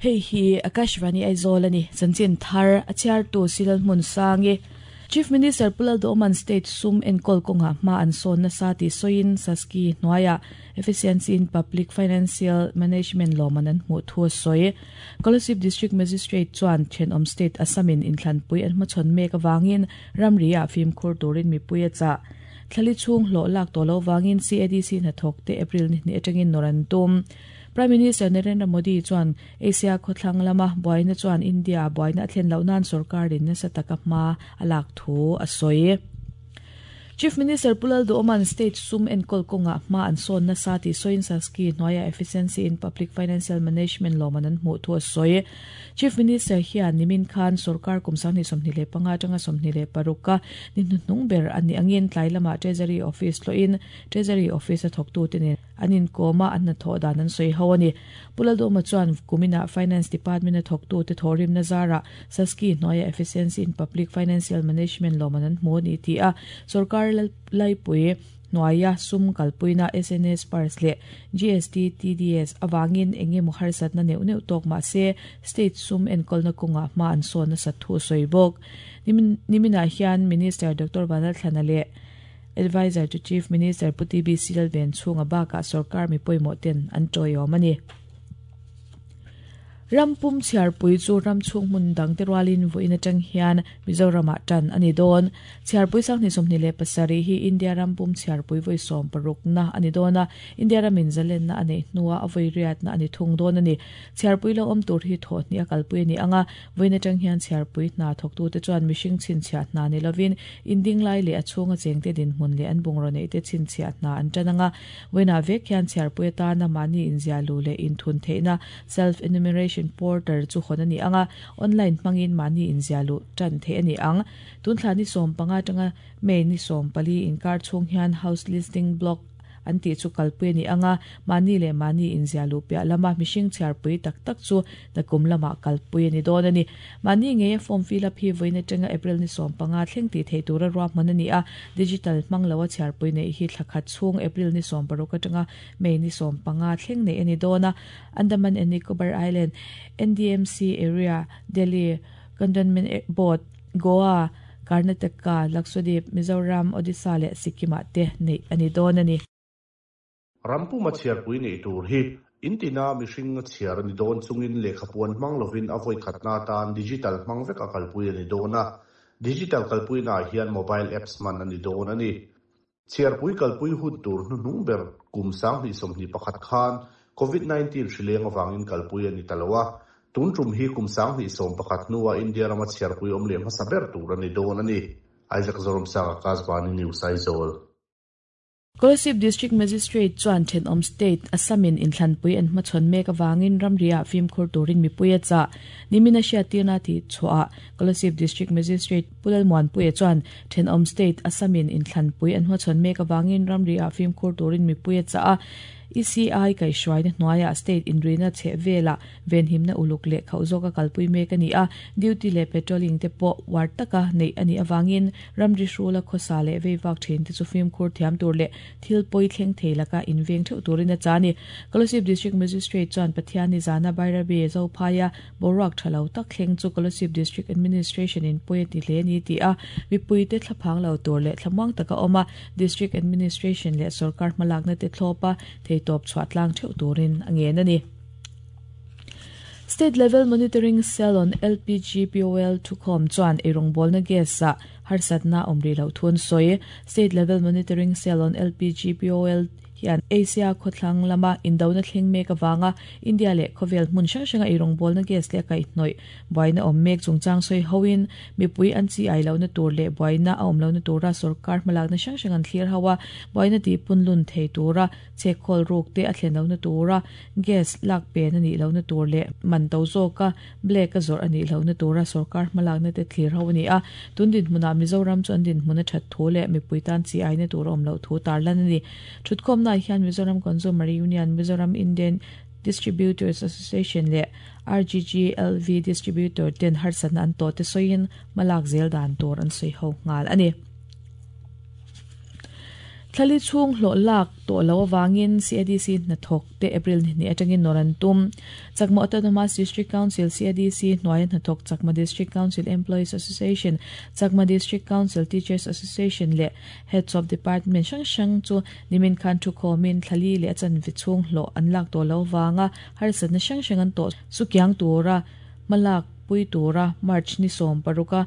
Hei hi Akashvani Aizawl a ni. Chanchin thar a chhiartu Silal Hmunsangi. Chief Minister Pu Lalduhawma'n State sum enkawl kawngah hma an sawn nasa tih sawiin Saski hnuaiah Efficiency in Public Financial Management lawmman an hmuh thu a sawi. Kolasib District Magistrate chuan thenawm state Assam-in inthlanpui an hmachhawn mek avangin ramri-ah fimkhur turin mipui a chah. Thlali chhung hlawh lak tawh loh vangin CADC hnathawkte April ni hnih atangin nawr an tum. Prime Minister Narendra Modi chuan Asia khawthlang lama buaina chuan India-a buaina a thlen loh nan sorkarin nasa taka hma a lak thu a sawi. Chief Minister Pu Lalduhawma'n state sum enkawl kawngah hma an sawn nasa tih sawiin Saski hnuaiah Efficiency in Public Financial Management lawmman an hmuh thu a sawi. Chief Minister hian nimin khan sorkar kum 2025 atanga 26 a ni hnuhnung ber a nih angin tlai lamah Treasury Office tlawhin Treasury Office a thawktute nen an inkawm a, an hnathawh dan an sawi ho a ni. Pu Lalduhma chuan kuminah Finance Department a thawktute thawhrimna zarah Saski hnuaia Efficiency in Public Financial Management lawmman an hmu a ni tih a, sorkar laipui hnuaia sum kalpuina SNS Pars leh GST TDS avangin eng emaw harsatna neuh neuh tawk mah se state sum enkawlna kawngah hma an sawn nasat thu a sawi bawk. Niminah hian Minister Doctor Vanlalthlana leh Adviser to Chief Minister Pu TB Silven chhunga bakah sorkar mi pawimawh ten an tawiawm a ni. Ram pum chhiarpui chu ram chhung hmun dangte rualin vawiin atang hian Mizoramah tan a ni dawn. Chhiarpui sanghnih 27 hi India ram pum chhiarpui vawi sawmparukna a ni dawn a, India ramin zalenna a neih hnua a vawi riatna a ni thung dawn a ni. Chhiarpui lo awm tur hi thawhhnih a kalpui a ni ang a, Vawiin atang hian chhiarpui hna thawktute chuan mihring chhinchhiah hna ni lovin indinglai leh a chhunga chengte dinhmun leh an bungraw neihte chhinchhiah hna an tan ang a. Vawiinah vek hian chhiarpui atana mahni inziahluh leh inthun theihna Self-Enumeration Portal chu hawn a ni ang a, online hmangin mahni inziahluh tan theih a ni ang. Tun thla ni 15 atanga May ni 14 inkar chhung hian House Listing Block an tih chu kalpui a ni ang a, mahni leh mahni inziah luh piah lama mihring chhiarpui tak tak chu nakum lamah kalpui a ni dawn a ni. Mahni ngeia form fill up hi vawiin atanga April ni 15 thleng tih theih tura ruahman a ni a, digital hmang loa chhiarpui neih hi thla khat chhung April ni 16 atanga May ni 15 thleng neih a ni dawn a. Andaman and Nicobar Island, NDMC Area, Delhi Cantonment Board, Goa, Karnataka, Lakshadweep, Mizoram, Odisha leh Sikkim-ah te neih a ni dawn a ni. Rampuma chhiarpui neih tur hi intina mihring a chhiar a ni dawn chungin lehkhapuan hmang lovin a vawi khatna atan digital hmang vek a kalpui a ni dawn a, digital kalpuinaah hian mobile apps hman a ni dawn a ni. Chhiarpui kalpui hun tur hnuhnung ber kum 2021 khan Covid 19 hrileng avangin kalpui a ni ta lo a, tun tum hi kum 2011 hnua India rama chhiarpui awm leh hmasa ber tur a ni dawn a ni. Isaac Zoramsanga, Kasbani News, Aizawl. Kolasib District Magistrate chuan thenawm state Assam-in inthlanpui an hmachhawn mek avangin ramriah fimkhur turin mipui a chah. Nimin a hriattirna tih chhuahah Kolasib District Magistrate Pu Lalmuanpuia chuan thenawm state Assam-in inthlanpui an hmachhawn mek avangin ramriah fimkhur turin mipui a chah a, ECI kaihhruaina hnuaiah state inrina chheh velah venhimna uluk leh khauh zawka kalpui mek a ni a, duty leh patrolling te pawh uar taka neih a nih avangin ramri hrula khawsa leh veivak thin te chu fimkhur thiam tur leh thil pawi thleng thei laka inveng theuh turin a chah a ni. Kolasib District Magistrate chuan Pathianni zana Bairabi Zophaia boruak tha lo tak thleng chu Kolasib District Administration in pawi a ti hle a ni tih a, mipuite thlaphang lo tur leh thlamuang taka awm a, District Administration leh sorkar hmalakna te thlawp a, theitawp chhuah tlang theuh turin a ngen a ni. State Level Monitoring Cell on LPG POL thukhawm chuan eirawngbawlna gas-ah harsatna awm rih loh thu an sawi. State Level Monitoring Cell on LPG POL hian Asia khawthlang lama indona thleng mek avanga India leh khawvel hmun hrang hranga eirawngbawlna gas leh a kaihhnawih buaina awm mek chungchang sawi hoin mipui an chi ai lohna tur leh buaina a awm lohna tura sorkar hmalakna hrang hrang an thlir ho a, buaina tihpunlun thei tura chhekhawl ruk te a thlen lohna tura gas lak pen a nih lohna tur leh man to zawka black a zawrh a nih lohna tura sorkar hmalakna te thlir ho a ni a. Tun dinhmunah Mizoram chu an dinhmun a that thu leh mipui tan chi aina tur a awm loh thu tarlan a ni. Thutkhawmnaah hian Mizoram Consumer Union, Mizoram Indian Distributors Association leh RGGLV Distributor ten harsatna an tawh te sawiin hmalak zel dan tur an sawi ho nghal a ni. Thlali chhung hlawh lak tawh loh avangin CADC hnathawk te April ni hnih atangin nawr an tum. Chakma Autonomous District Council, CADC, hnuaia hnathawk Chakma District Council Employees Association, Chakma District Council Teachers Association leh Heads of Department hrang hrang chu nimin khan thukhawmin thlali leh a chanve chhung hlawh an lak tawh loh avanga harsatna hrang hrang an tawh sukiang tura hmalak pui tura March ni 16 a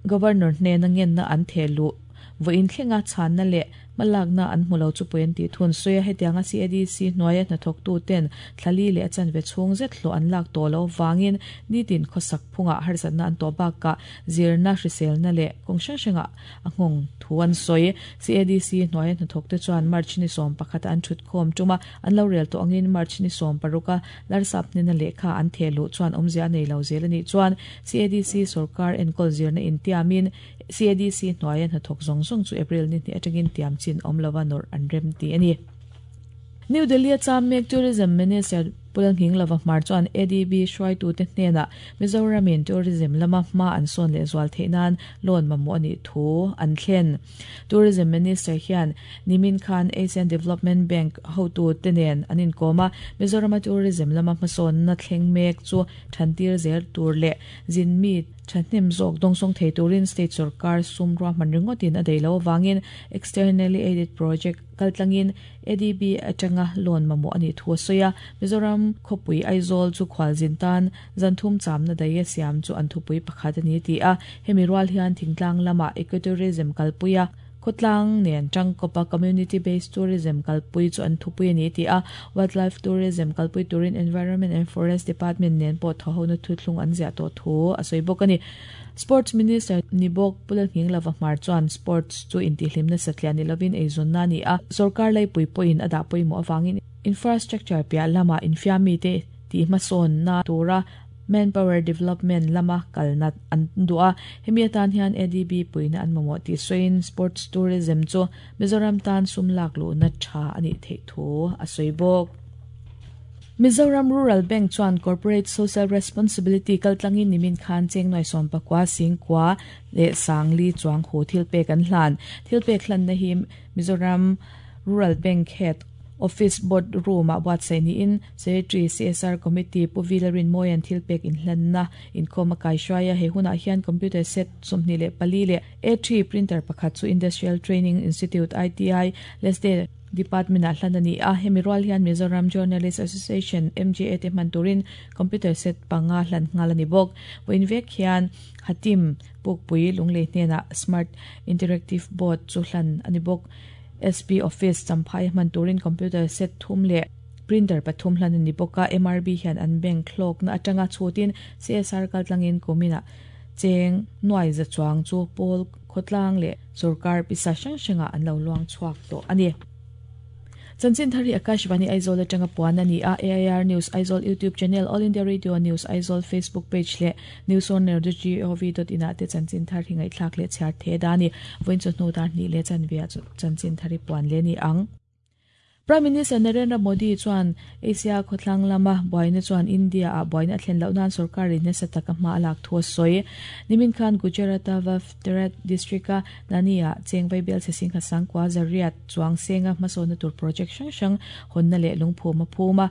Governor hnena ngenna an theh luh vawiin thlenga chhanna leh hmalakna an hmu lo chu pawi an tih thun. Sawi a, hetianga CADC hnuaia hnathawktu ten thlali leh a chanve chhung zet hlawh an lak tawh loh vangin nitin khawsak phungah harsatna an tawh bakah zirna, hriselna leh kawng hrang hrangah a nghawng thu an sawi. CADC hnuaia hnathawkte chuan March ni 11 a an thutkhawm tuma an lo rel tawh angin March ni 16 a Larsap hnena lehkha an theh luh chuan awmzia a nei lo zel a nih chuan CADC sorkar enkawl zirna intiamin CADC hnuaia hnathawk zawng zawng chu April ni hnih atangin tiam chin awm lova nawrh an rem ti a ni. New Delhi-a cham mek Tourism Minister Pu Lalnghinglova Hmar chuan ADB hruaitute hnenah Mizoramin tourism lama hma an sawn leh zual theih nan loan mamawh a nih thu an thlen. Tourism Minister hian nimin khan Asian Development Bank hotute nen an inkawm a, Mizorama tourism lama hmasawnna thleng mek chu thantir zel tur leh zin mi thahnem zawk dawngsawng thei turin state sorkar sum ruahman ringawtin a daih loh avangin externally aided project kaltlangin ADB atanga loan mamawh a nih thu a sawi a. Mizoram khawpui Aizawl chu khualzin tan zanthum chamna daih a siam chu an thupui pakhat a ni ti a. Hemi rual hian thingtlang lamah ecotourism kalpui a, khawtlang nen tangkawpa community based tourism kalpui chu an thupui a ni ti a. Wildlife tourism kalpui turin Environment and Forest Department nen pawh thawhona thuthlung an ziah tawh thu a sawi bawk a ni. Sports Minister ni bawk Pu Lalnghinglova Hmar chuan sports chu intihhlimna satliah ni lovin eizawnna a ni a, sorkar laipui pawhin a dah pawimawh avangin infrastructure piah lama infiamite tihhmasawnna tura manpower development lama kalna an duh a, hemi atan hian ADB puihna an mamawh tih sawiin sports tourism chu Mizoram tan sum lak luhna tha a nih theih thu a sawi bawk. Mizoram Rural Bank chuan Corporate Social Responsibility kaltlangin nimin khan cheng nuai 19 singkua leh sangli chuang hu thilpek an hlan. Thilpek hlanna hi Mizoram Rural Bank Head Office Board Room-ah buatsaih niin Secretary CSR Committee Pu Vila Rinmawia'n thilpek inhlanna inkhawm a kaihruai a. He hunah hian computer set 24 leh A3 printer pakhat chu Industrial Training Institute, ITI, Lesde Department-ah hlan a ni a. Hemi rual hian Mizoram Journalist Association, MJA, te hman turin computer set panga hlan nghal a ni bawk. Vawiin vek hian Hatim Pukpui Lunglei hnenah Smart Interactive Board chu hlan a ni bawk. SP Office Champhai hman turin computer set thum leh printer pathum hlan a ni bawk a. MRB hian an bank hlawkna atanga chhutin CSR kaltlangin kuminah cheng nuai za chuang chu pawl khawtlang leh sorkar pisa hrang hrangah an lo luang chhuak tawh a ni. Chanchin thar hi Akashvani Aizawl atanga puan a ni a, AIR News Aizawl YouTube channel, All India Radio News Aizawl Facebook page leh newsonergov.in ah te chanchin thar hi ngaihthlak leh chhiar the da a ni. Vawiin chu hnu dar hnih leh chanve ah chanchin thar hi puan leh a ni ang. Prime Minister Narendra Modi chuan Asia khawthlang lama buaina chuan India-ah buaina a thlen loh nan sorkarin nasa taka hma a lak thu a sawi. Nimin khan Gujarat-a Vavterat district-a Nani-ah cheng vaibel chhe singha sangkua zariat chuang senga hmasawnna tur project hrang hrang hawnna leh lungphum a phum a.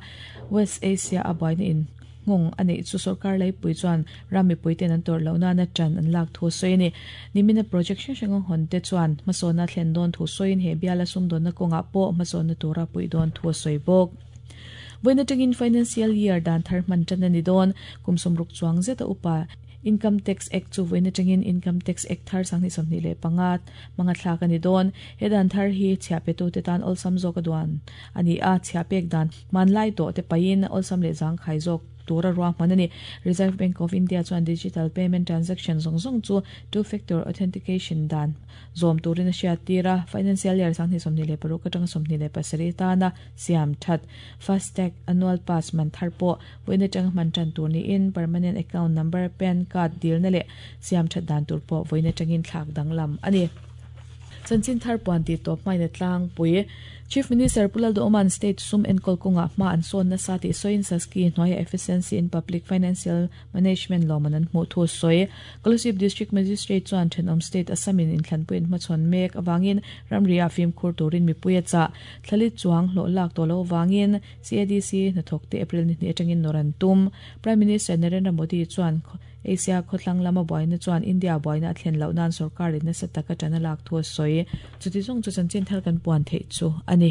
West Asia-a buaina in Nghawng a neih chu sorkar laipui chuan ram mipuite'n an tawrh loh nana ṭan an lak thu a sawi a ni. Nimina project hrang hrang a hawn te chuan hmasawnna thlen dawn thu sawiin he biala sumdawnna kawngah pawh hmasawnna tura puih dawn thu a sawi bawk. Vawiin aṭangin financial year dan thar hman ṭan a ni dawn. Kum 60 chuang zeta upa Income Tax Act chu vawiin aṭangin Income Tax Act thar 2025 hmanga thlak a ni dawn. He dan thar hi chhiahpetute tan awlsam zawk a duan a ni a, chhiahpek dan hmanlai tawh te pahin awlsam leh zangkhai zawk tura ruahman a ni. Reserve Bank of India chuan digital payment transaction zawng zawng chu two-factor authentication dan zawm turin a hriattir a, financial year 2026 atanga 27 atana siam that FASTag annual pass man thar pawh vawiin atanga hman tan tur niin permanent account number, pan card dilna leh siam that dan tur pawh vawiin atangin thlak danglam a ni. Chanchin thar puan tih tawp hmain a tlangpui. Chief Minister Pu Lalduhoma'n State sum enkawl kawngah hma an sawn nasa tih sawiin Saski hnuaia Efficiency in Public Financial Management lawmman an hmuh thu a sawi. Kolasib District Magistrate chuan thenawm state Assam-in inthlanpuiin hmachhawn mek avangin ramri-ah fimkhur turin mipui a chah. Thlali chuang hlawh lak tawh lo avangin CADC hnathawkte April ni hnih atangin nawr an tum. Prime Minister Narendra Modi chuan Asia khawthlang lama buaina chuan India buaina a thlen loh nan sorkarin nasa taka tan a lak thu a sawi. Chuti zawng chu chanchin thar kan puan theih chu a ni.